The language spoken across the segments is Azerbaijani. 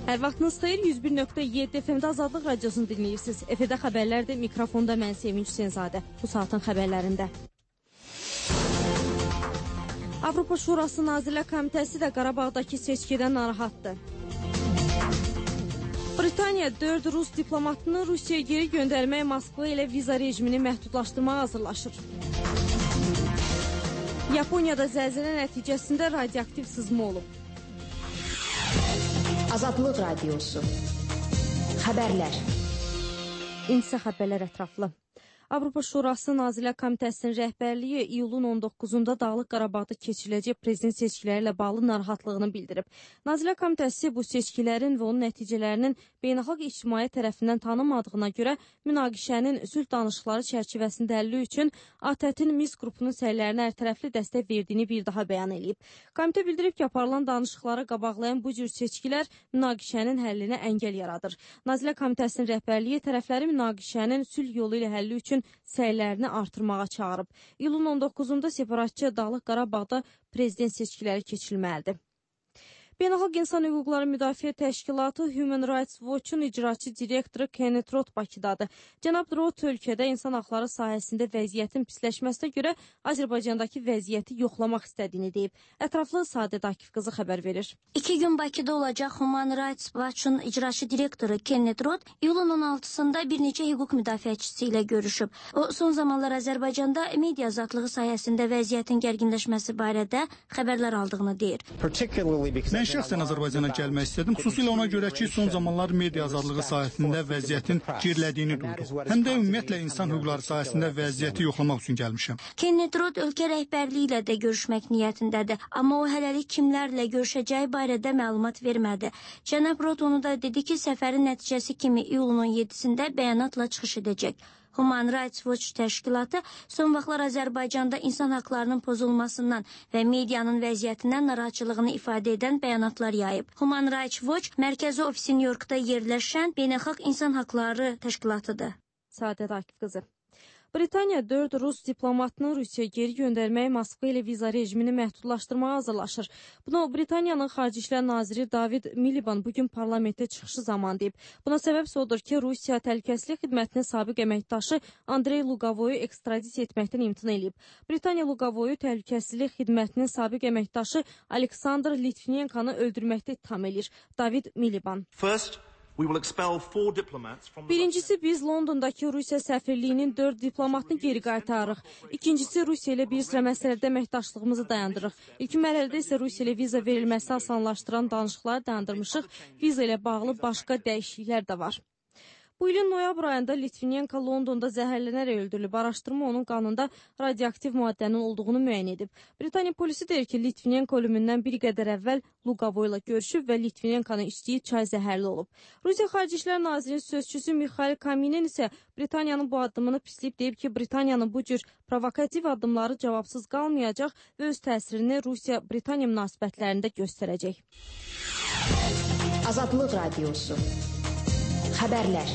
Hər vaxtınız xeyir, 101.7 FM-də Azadlıq Radiosunu dinləyirsiniz. Efirdə xəbərlərdə, mikrofonda mən Sevinç Hüseynzadə. Bu saatın xəbərlərində. Avropa Şurası Nazirlər Komitəsi də Qarabağdakı seçkidən narahatdır. Britaniya 4 Rus diplomatını Rusiyaya geri göndərmək Moskva ilə viza rejimini məhdudlaşdırmağa hazırlaşır. Yaponiyada zəlzələ nəticəsində radioaktiv sızma olub. Azadlıq Radiosu. Xəbərlər. İnsə xəbərlər ətraflı. Avropa Şurası Nazirlər Komitəsinin rəhbərliyi iyulun 19-da Dağlıq Qarabağda keçiriləcək prezident seçkiləri ilə bağlı narahatlığını bildirib. Nazirlər Komitəsi bu seçkilərin və onun nəticələrinin beynəlxalq ictimaiyyət tərəfindən tanınmadığına görə münaqişənin sülh danışıqları çərçivəsində həlli üçün ATƏT-in Minsk qrupunun səylərinə hərtərəfli dəstək verdiyini bir daha bəyan edib. Komitə bildirib ki, aparılan danışıqları qabaqlayan bu cür seçkilər münaqişənin həllinə əngəl yaradır. Nazirlər Komitəsinin rəhbərliyi tərəfləri münaqişənin sülh yolu ilə həlli üçün səylərini artırmağa çağırıb. İyulun 19-da separatçı Dağlıq Qarabağda prezident seçkiləri keçirilməlidir. Beynəlxalq İnsan Hüquqları Müdafiə Təşkilatı Human Rights Watch-un icraçı direktoru Kenneth Roth Bakıdadır. Cənab Roth ölkədə insan haqları sahəsində vəziyyətin pisləşməsinə görə Azərbaycandakı vəziyyəti yoxlamaq istədiyini deyib. Ətraflı Sadət Akif qızı xəbər verir. 2 gün Bakıda olacaq Human Rights Watch-un icraçı direktoru Kenneth Roth iyulun 16-sında bir neçə hüquq müdafiəçisi ilə görüşüb. O, son zamanlar Azərbaycanda media azadlığı sahəsində vəziyyətin gərginləşməsi barədə xəbərlər aldığını deyir. Mən şəxsən Azərbaycana gəlmək istədim, xüsusilə ona görə ki, son zamanlar media azadlığı sahəsində vəziyyətin gerilədiyini duydum. Həm də ümumiyyətlə insan hüquqları sahəsində vəziyyəti yoxlamaq üçün gəlmişəm. Kenneth Roth ölkə rəhbərliyi ilə də görüşmək niyyətindədir, amma o hələlik kimlərlə görüşəcəyi barədə məlumat vermədi. Cənab Roth onu da dedi ki, səfərin nəticəsi kimi iyulun 17-sində bəyanatla çıxış edəcək. Human Rights Watch təşkilatı son vaxtlar Azərbaycanda insan haqlarının pozulmasından və medianın vəziyyətindən narahatçılığını ifadə edən bəyanatlar yayıb. Human Rights Watch mərkəzi ofisi Nyu-Yorkda yerləşən beynəlxalq insan haqları təşkilatıdır. Sadət Akif qızı. Britaniya 4 Rus diplomatını Rusiyaya geri göndərmək Moskva ilə viza rejimini məhdudlaşdırmağa hazırlaşır. Bunu Britaniyanın Xarici İşlər Naziri David Miliband bugün parlamentdə çıxışı zamanı deyib. Buna səbəb odur ki, Rusiya Təhlükəsizlik Xidmətinin sabiq əməkdaşı Andrey Luqavoyu ekstradisiya etməkdən imtina edib. Britaniya Luqavoyu Təhlükəsizlik Xidmətinin sabiq əməkdaşı Aleksandr Litvinenkanı öldürməkdə ittiham edir. David Miliband. Birincisi, biz Londondakı Rusiya səfirliyinin 4 diplomatını geri qaytarırıq. İkincisi, Rusiya ilə bir sıra məsələdə əməkdaşlığımızı dayandırırıq. İlk mərhələdə isə Rusiya ilə viza verilməsi asanlaşdıran danışıqları dayandırmışıq. Viza ilə bağlı başqa dəyişikliklər də var. Bu ilin noyabr ayında Litvinenko Londonda zəhərlənərək öldürülüb. Araşdırma onun qanında radioaktiv maddənin olduğunu müəyyən edib. Britaniya polisi deyir ki, Litvinenko ölümündən bir qədər əvvəl Luqavoy ilə görüşüb və Litvinenkonun içdiyi çay zəhərli olub. Rusiya Xarici İşlər Nazirinin sözçüsü Mikhail Kaminin isə Britaniyanın bu addımını pisləyib deyib ki, Britaniyanın bu cür provokativ addımları cavabsız qalmayacaq və öz təsirini Rusiya-Britaniya münasibətlərində göstərəcək. Azadlıq Radiosu. Xəbərlər.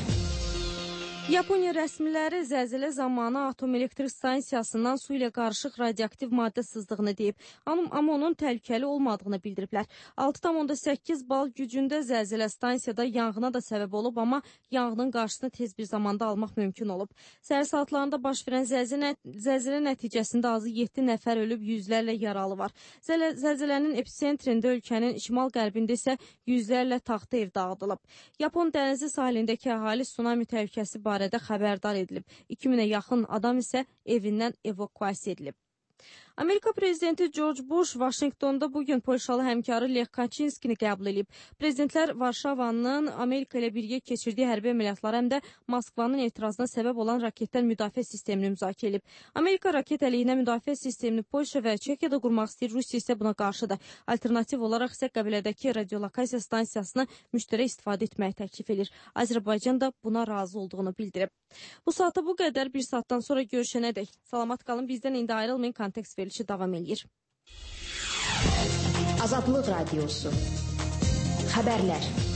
Yaponiya rəsmiləri zəlzələ zamanı atom elektrik stansiyasından su ilə qarışıq radioaktiv maddə sızdığını deyib, amma onun təhlükəli olmadığını bildiriblər. 6,8 bal gücündə zəlzələ stansiyada yanğına da səbəb olub, amma yanğının qarşısını tez bir zamanda almaq mümkün olub. Səhər saatlarında baş verən zəlzələ nəticəsində azı 7 nəfər ölüb, yüzlərlə yaralı var. Zəlzələnin episentrində ölkənin şimal-qərbində isə yüzlərlə taxta ev dağıdılıb. Yapon dənizi sahilindəki əhali tsunami təhlükəsi barədə xəbərdar edilib. 2000-ə yaxın adam isə evindən evakuasiya edilib. Amerika prezidenti George Bush Vaşinqtonda bugün Polşalı həmkarı Lech Kaczynskini qəbul edib. Prezidentlər Varşavanın Amerika ilə birgə keçirdiyi hərbi əməliyyatlar həm də Moskvanın etirazına səbəb olan raketdən müdafiə sistemini müzakirə edib. Amerika raket əleyhinə müdafiə sistemini Polşa və Çekiyada qurmaq istəyir, Rusiya isə buna qarşıdır. Alternativ olaraq isə qəbilədəki radiolokasiya stansiyasını müştərək istifadə etməyi təklif edir. Azərbaycan da buna razı olduğunu bildirib. Bu saata bu qədər, bir saatdan sonra görüşənədək. Salamat qalın, bizdən indi ayrılmayın, kontekst verilişi davam edir. Azadlıq Radiosu. Xəbərlər.